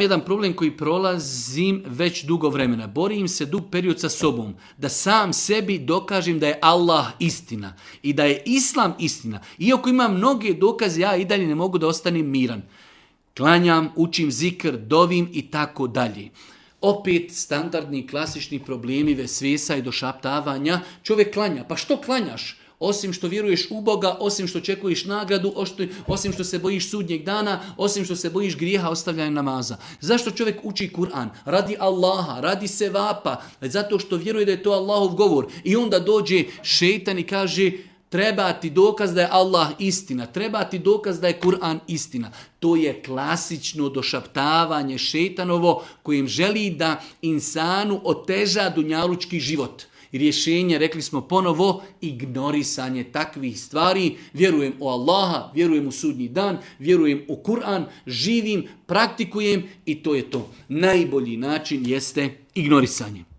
Jedan problem koji prolazim već dugo vremena. Borim se dug period sa sobom. Da sam sebi dokažem da je Allah istina. I da je Islam istina. Iako imam mnoge dokaze, ja i dalje ne mogu da ostanem miran. Klanjam, učim zikr, dovim i tako dalje. Opet standardni, klasični problemi vesvesa i došaptavanja. Čovjek klanja. Pa što klanjaš? Osim što vjeruješ u Boga, osim što očekuješ nagradu, osim što se bojiš sudnjeg dana, osim što se bojiš grijeha ostavljanja namaza. Zašto čovjek uči Kur'an? Radi Allaha, radi sevapa, zato što vjeruje da je to Allahov govor. I onda dođe šejtan i kaže, treba ti dokaz da je Allah istina, treba ti dokaz da je Kur'an istina. To je klasično došaptavanje šejtanovo kojim želi da insanu oteža dunjalučki život. I rješenje, rekli smo ponovo, ignorisanje takvih stvari. Vjerujem u Allaha, vjerujem u sudnji dan, vjerujem u Kur'an, živim, praktikujem i to je to. Najbolji način jeste ignorisanje.